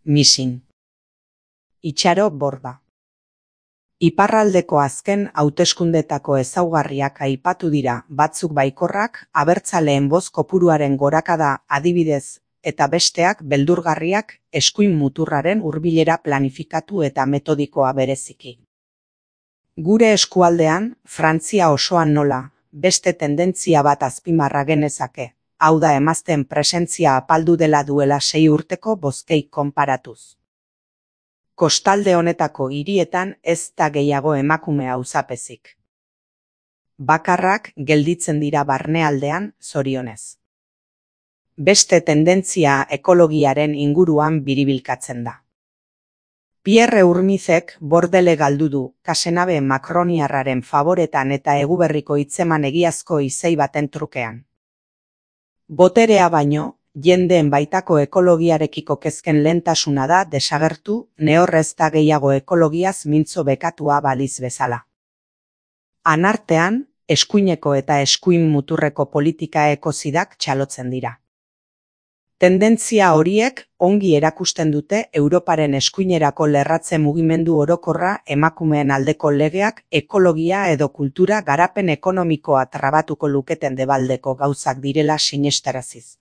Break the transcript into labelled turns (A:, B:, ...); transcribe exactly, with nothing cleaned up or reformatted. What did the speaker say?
A: Missing. Itxaro Borda. Iparraldeko azken hauteskundetako ezaugarriak aipatu dira, batzuk baikorrak, abertzaleen boz kopuruaren gorakada adibidez, eta besteak beldurgarriak, eskuin muturraren hurbilera planifikatu eta metodikoa bereziki. Gure eskualdean, Frantzia osoan nola, beste tendentzia bat azpimarra genezake, hau da emazteen presentzia apaldu dela duela sei urteko bozkei konparatuz. Kostalde honetako hirietan ez da gehiago emakume auzapezik. Bakarrak gelditzen dira barnealdean, zorionez. Beste tendentzia ekologiaren inguruan biribilkatzen da. Pierre Urmizek bordele galdu du, Kasenabe makroniarraren favoretan eta eguberriko hitzeman egiazko izei baten trukean. Boterea baino, jendeen baitako ekologiarekiko kezken lehentasuna da desagertu, nehorrez da gehiago ekologiaz mintzo bekatua baliz bezala. Anartean, eskuineko eta eskuin muturreko politika ekozidak txalotzen dira. Tendentzia horiek ongi erakusten dute Europaren eskuinerako lerratze mugimendu orokorra emakumeen aldeko legeak ekologia edo kultura garapen ekonomikoa trabatuko luketen debaldeko gauzak direla sinestaraziz.